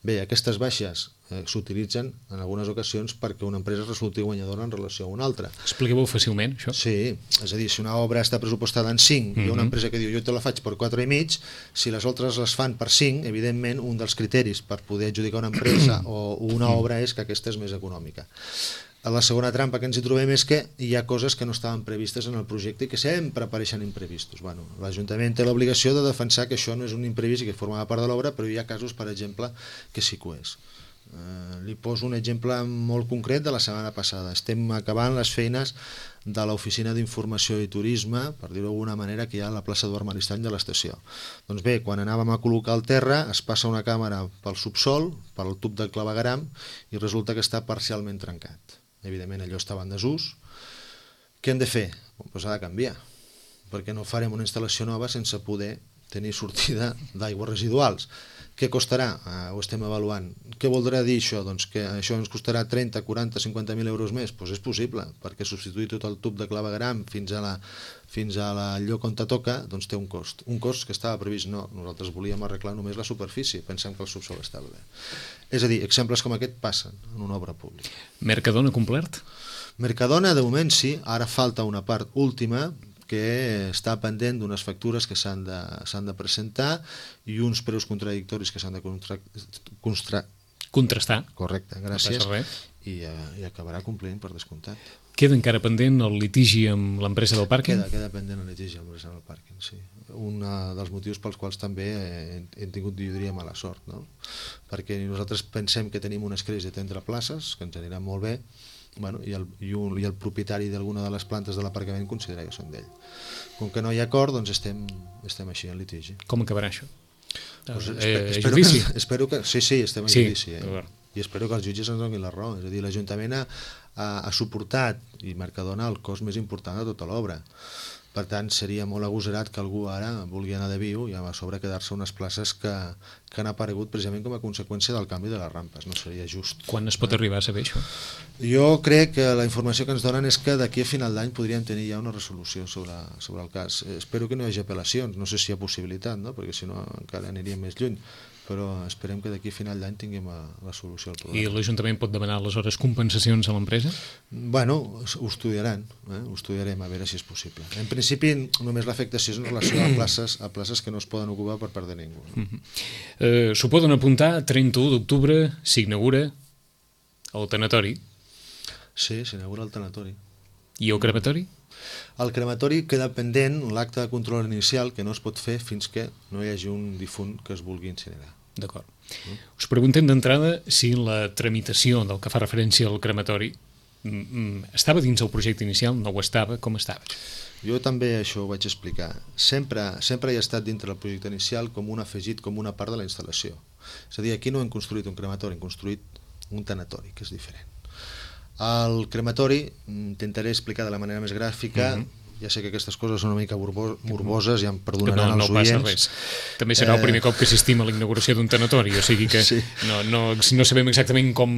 Bé, aquestes baixes eh, s'utilitzen en algunes ocasions perquè una empresa resulti guanyadora en relació a una altra. Expliqueu-ho fàcilment, això. Sí, és a dir, si una obra està pressupostada en cinc mm-hmm. i hi ha una empresa que diu jo te la faig per quatre i mig, si les altres les fan per cinc, evidentment un dels criteris per poder adjudicar una empresa o una obra és que aquesta és més econòmica. La segona trampa que ens hi trobem és que hi ha coses que no estaven previstes en el projecte i que sempre apareixen imprevistos. Bueno, l'Ajuntament té l'obligació de defensar que això no és un imprevist i que formava part de l'obra, però hi ha casos, per exemple, que sí que ho és. Eh, li poso un exemple molt concret de la setmana passada. Estem acabant les feines de l'Oficina d'Informació i Turisme, per dir-ho d'alguna manera, que hi ha a la plaça Eduard Maristany de l'estació. Doncs bé, quan anàvem a col·locar el terra, es passa una càmera pel subsol, pel tub del clavegueram, i resulta que està parcialment trencat. Evidentment allò estava en desús. Què hem de fer? Doncs ha de canviar, perquè no farem una instal·lació nova sense poder tenir sortida d'aigües residuals. Què costarà? Uh, ho estem avaluant. Què voldrà dir això? Doncs que això ens costarà trenta, quaranta, cinquanta mil euros més? Doncs és possible, perquè substituir tot el tub de clavegueram fins a la, fins a la lloc on te toca, doncs té un cost. Un cost que estava previst, no, nosaltres volíem arreglar només la superfície, pensant que el subsol estava bé. És a dir, exemples com aquest passen en una obra pública. Mercadona complert? Mercadona, de moment sí, ara falta una part última, que està pendent d'unes factures que s'han de, s'han de presentar i uns preus contradictoris que s'han de contra... Constra... contrastar. Correcte, gràcies. No passa res. I, uh, i acabarà complint per descomptat. Queda encara pendent el litigi amb l'empresa del pàrquing? Queda, queda pendent el litigi amb l'empresa del pàrquing, sí. Un dels motius pels quals també hem, hem tingut, jo diria, mala sort, no? Perquè nosaltres pensem que tenim un escreix de trenta places, que ens anirà molt bé, bueno, i, el, i, un, i el propietari d'alguna de les plantes de l'aparcament considera que són d'ell. Com que no hi ha acord, doncs estem, estem així en litigi. Com acabarà això? Pues eh, espero, espero, judici? Que, espero que... Sí, sí, estem en sí, judici. Eh? I espero que els jutges ens donin la raó. És a dir, l'Ajuntament ha, ha, ha suportat, i Mercadona, el cost més important de tota l'obra. Per tant, seria molt agosarat que algú ara vulgui anar de viu i a sobre quedar-se unes places que, que han aparegut precisament com a conseqüència del canvi de les rampes. No seria just. Quan es pot arribar a saber això? Jo crec que la informació que ens donen és que d'aquí a final d'any podríem tenir ja una resolució sobre, sobre el cas. Espero que no hi hagi apel·lacions, no sé si hi ha possibilitat, no? Perquè si no encara aniríem més lluny, però esperem que d'aquí a final d'any tinguem la solució al problema. I l'Ajuntament pot demanar aleshores compensacions a l'empresa? Bueno, ho estudiaran, eh? ho estudiarem a veure si és possible. En principi només l'afectació és en relació a places, a places que no es poden ocupar per part de ningú. No? Uh-huh. eh, S'ho poden apuntar, trenta-u d'octubre s'inaugura el tanatori. Sí, s'inaugura el tanatori. I el crematori? El crematori queda pendent l'acte de control inicial que no es pot fer fins que no hi hagi un difunt que es vulgui incinerar. D'acord. Mm. Us preguntem d'entrada si la tramitació del que fa referència al crematori mm, estava dins el projecte inicial, no ho estava, com estava? Jo també això ho vaig explicar. Sempre, sempre hi ha estat dintre del projecte inicial com un afegit, com una part de la instal·lació. És a dir, aquí no hem construït un crematori, hem construït un tanatori, que és diferent. El crematori, intentaré explicar de la manera més gràfica, mm-hmm. Ja sé que aquestes coses són una mica morboses, ja em perdonaran no, no els oients. No passa res. També serà eh... el primer cop que assistim a la inauguració d'un tanatori, o sigui que sí. no, no, no sabem exactament com,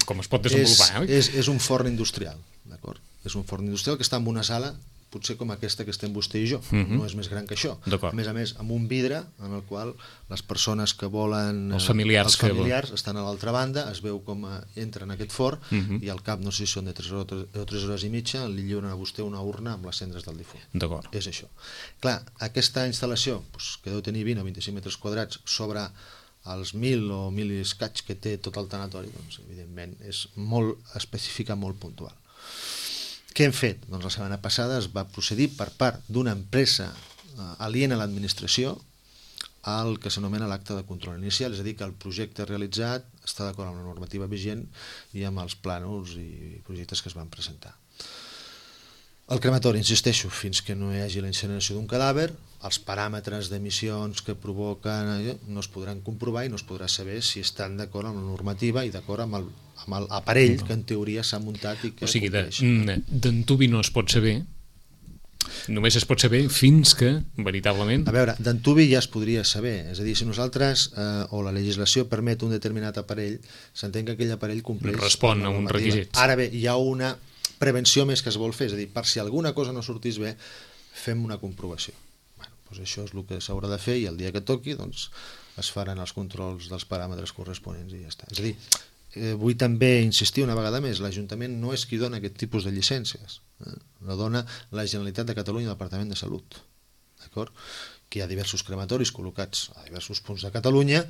com es pot desenvolupar. És, és, és un forn industrial, d'acord? És un forn industrial que està en una sala, potser com aquesta que estem vostè i jo, mm-hmm. no és més gran que això. A més a més, amb un vidre en el qual les persones que volen... Els familiars, els familiars que estan a l'altra banda, es veu com entren en aquest forn mm-hmm. i al cap, no sé si són de tres hores i mitja, li lliuren a vostè una urna amb les cendres del difunt. D'acord. És això. Clar, aquesta instal·lació, doncs, que deu tenir vint o vint-i-cinc metres quadrats sobre els mil o mil i escaig que té tot el tanatori, doncs, evidentment, és molt específica, molt puntual. Què hem fet? Doncs la setmana passada es va procedir per part d'una empresa eh, aliena a l'administració al que s'anomena l'acte de control inicial, és a dir, que el projecte realitzat està d'acord amb la normativa vigent i amb els plànols i projectes que es van presentar. El crematori, insisteixo, fins que no hi hagi la incineració d'un cadàver, els paràmetres d'emissions que provoquen eh, no es podran comprovar i no es podrà saber si estan d'acord amb la normativa i d'acord amb el amb l'aparell que en teoria s'ha muntat i que o sigui, d'antuvi no es pot saber només es pot saber fins que, veritablement... A veure, d'antuvi ja es podria saber, és a dir, si nosaltres, eh, o la legislació permet un determinat aparell, s'entén que aquell aparell compleix... Respon a uns requisits. Ara bé, hi ha una prevenció més que es vol fer, és a dir, per si alguna cosa no sortís bé, fem una comprovació. Bueno, doncs això és el que s'haurà de fer i el dia que toqui, doncs, es faran els controls dels paràmetres corresponents i ja està. És a dir, eh, vull també insistir una vegada més, l'Ajuntament no és qui dona aquest tipus de llicències, eh? La dona la Generalitat de Catalunya, el Departament de Salut, d'acord? Que hi ha diversos crematoris col·locats a diversos punts de Catalunya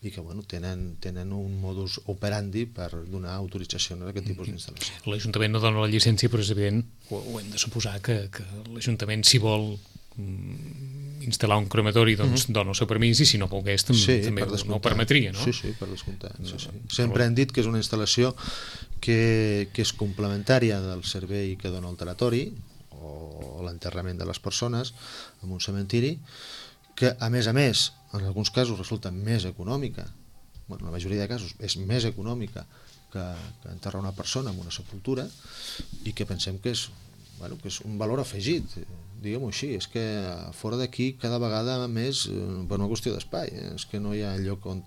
i que bueno, tenen, tenen un modus operandi per donar autorització a aquest tipus d'instal·lació. L'Ajuntament no dona la llicència, però és evident, ho, ho hem de suposar, que, que l'Ajuntament, si vol instal·lar un crematori, doncs uh-huh. dona el seu permís, i si no volgués també, sí, també per no ho permetria, no? Sí, sí, per descomptat. Sí, sí. Sempre hem dit que és una instal·lació que, que és complementària del servei que dona el tanatori o l'enterrament de les persones en un cementiri, que a més a més, en alguns casos resulta més econòmica, bueno, la majoria de casos és més econòmica que, que enterrar una persona en una sepultura, i que pensem que és, bueno, que és un valor afegit, diguem-ho així. És que fora d'aquí cada vegada més, per una qüestió d'espai, eh? És que no hi ha lloc on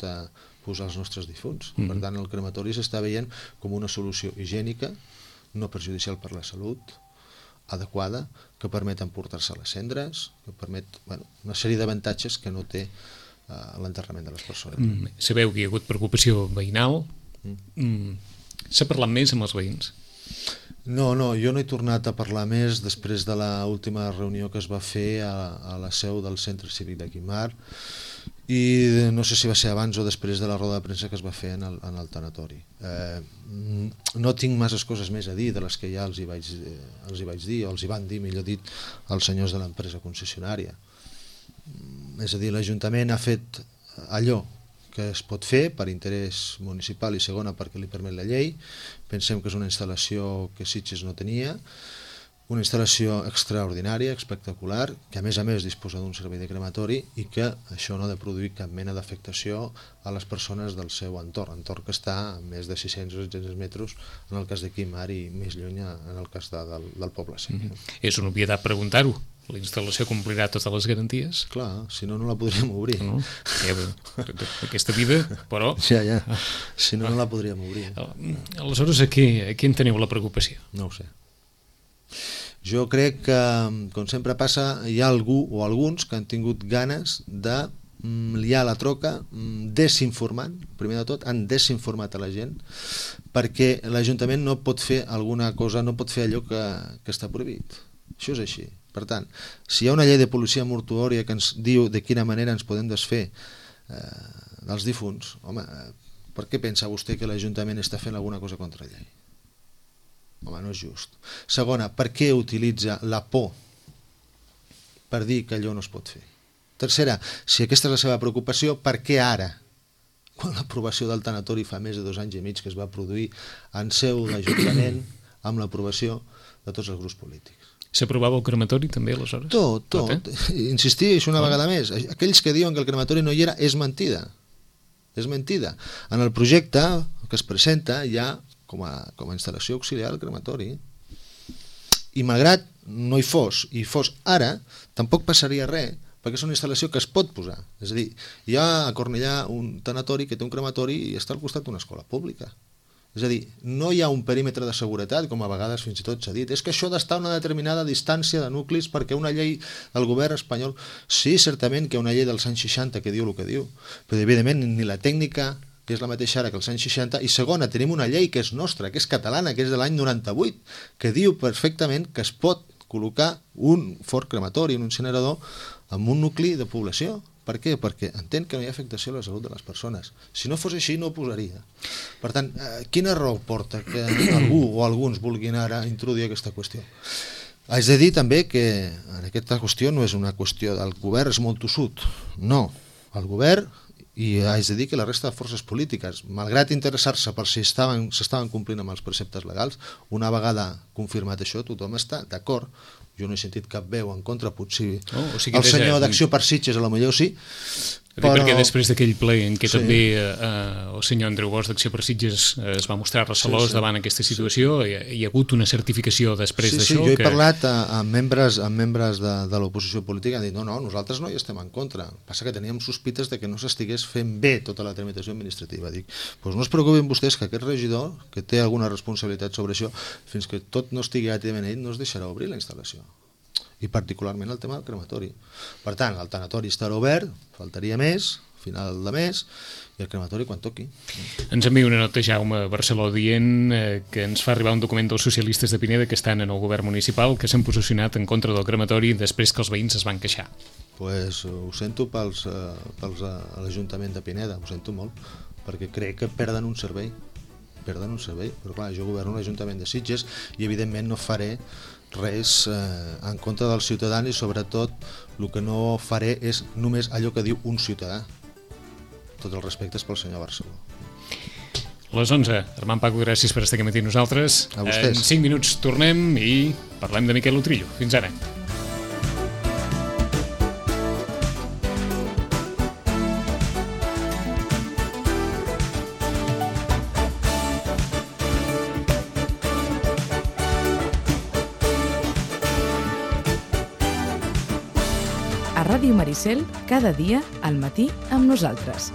posar els nostres difunts. Mm-hmm. Per tant, el crematori s'està veient com una solució higiènica, no perjudicial per la salut, adequada, que permet emportar-se les cendres, que permet, bueno, una sèrie d'avantatges que no té uh, l'enterrament de les persones. Mm, sabeu que hi ha hagut preocupació veïnal. Mm. Mm. S'ha parlat més amb els veïns? No, no, jo no he tornat a parlar més després de l'última reunió que es va fer a, a la seu del Centre Cívic de Guimar, i no sé si va ser abans o després de la roda de premsa que es va fer en el, en el tanatori. Eh, no tinc masses coses més a dir de les que ja els hi vaig, eh, els hi vaig dir, o els hi van dir, millor dit, als senyors de l'empresa concessionària. És a dir, l'Ajuntament ha fet allò que es pot fer per interès municipal i segona perquè li permet la llei. Pensem que és una instal·lació que Sitges no tenia, una instal·lació extraordinària, espectacular, que a més a més disposa d'un servei de crematori i que això no ha de produir cap mena d'afectació a les persones del seu entorn, entorn que està a més de sis-cents o set-cents metres en el cas de Guimar i més lluny en el cas de, del, del poble sec. Mm-hmm. És una obvietat preguntar-ho. La instal·lació complirà totes les garanties? Clar, si no, no la podríem obrir. No? Ja, aquesta vida, però... Ja, ja. Si no, no la podríem obrir. Aleshores, a què, a què en teniu la preocupació? No ho sé. Jo crec que, com sempre passa, hi ha algú o alguns que han tingut ganes de liar la troca desinformant, primer de tot, han desinformat a la gent, perquè l'Ajuntament no pot fer alguna cosa, no pot fer allò que, que està prohibit. Això és així. Per tant, si hi ha una llei de policia mortuòria que ens diu de quina manera ens podem desfer eh, dels difunts, home, per què pensa vostè que l'Ajuntament està fent alguna cosa contra la llei? Home, no és just. Segona, per què utilitza la por per dir que allò no es pot fer? Tercera, si aquesta és la seva preocupació, per què ara, quan l'aprovació del tanatori fa més de dos anys i mig que es va produir en seu d'Ajuntament amb l'aprovació de tots els grups polítics? S'aprovava el crematori també, aleshores? Tot, tot. tot eh? Insistix una tot. vegada més. Aquells que diuen que el crematori no hi era és mentida. És mentida. En el projecte que es presenta hi ha com a, com a instal·lació auxiliar el crematori. I malgrat no hi fos, i fos ara, tampoc passaria res, perquè és una instal·lació que es pot posar. És a dir, hi ha a Cornellà un tanatori que té un crematori i està al costat d'una escola pública. És a dir, no hi ha un perímetre de seguretat, com a vegades fins i tot s'ha dit. És que això ha d'estar a una determinada distància de nuclis perquè una llei del govern espanyol... Sí, certament que hi ha una llei dels anys seixanta que diu el que diu, però evidentment ni la tècnica, que és la mateixa ara que els anys seixanta, i segona, tenim una llei que és nostra, que és catalana, que és de l'any noranta-vuit, que diu perfectament que es pot col·locar un fort crematori, un incinerador, en un nucli de població. Per què? Perquè entén que no hi ha afectació a la salut de les persones. Si no fos així, no ho posaria. Per tant, eh, quina raó porta que algú o alguns vulguin ara introduir aquesta qüestió? Haig de dir també que en aquesta qüestió no és una qüestió del govern, és molt tossut. No, el govern, i haig de dir que la resta de forces polítiques, malgrat interessar-se per si estaven, s'estaven complint amb els preceptes legals, una vegada confirmat això, tothom està d'acord. Jo no he sentit cap veu en contra, potser oh, o sigui, el senyor d'Acció per Sitges a la millor sí, Però... Perquè després d'aquell ple en què sí. també eh, el senyor Andreu Bosch d'Acció per Sitges eh, es va mostrar recelós sí, sí. davant aquesta situació, sí. hi, hi ha hagut una certificació després sí, d'això? Sí, jo he que... parlat amb membres, amb membres de, de l'oposició política, han dit no, no, nosaltres no hi estem en contra, passa que teníem sospites de que no s'estigués fent bé tota la tramitació administrativa. Dic, doncs no es preocupin vostès que aquest regidor, que té alguna responsabilitat sobre això, fins que tot no estigui àtidament ell, no es deixarà obrir la instal·lació. I particularment el tema del crematori. Per tant, el tanatori estarà obert, faltaria més, final de mes, i el crematori quan toqui. Ens envia una nota Jaume Barceló dient eh, que ens fa arribar un document dels socialistes de Pineda que estan en el govern municipal que s'han posicionat en contra del crematori després que els veïns es van queixar. Pues ho sento pels, eh, pels a l'Ajuntament de Pineda, ho sento molt, perquè crec que perden un servei, perden un servei, però clar, jo governo l'Ajuntament de Sitges i evidentment no faré res eh, en contra dels ciutadans i sobretot el que no faré és només allò que diu un ciutadà. Tots els respectes pel senyor Barceló. Les onze. Armand Paco, gràcies per estar aquí matí nosaltres. A vostès. En cinc minuts tornem i parlem de Miquel Utrillo. Fins ara. A Ràdio Maricel, cada dia al matí amb nosaltres.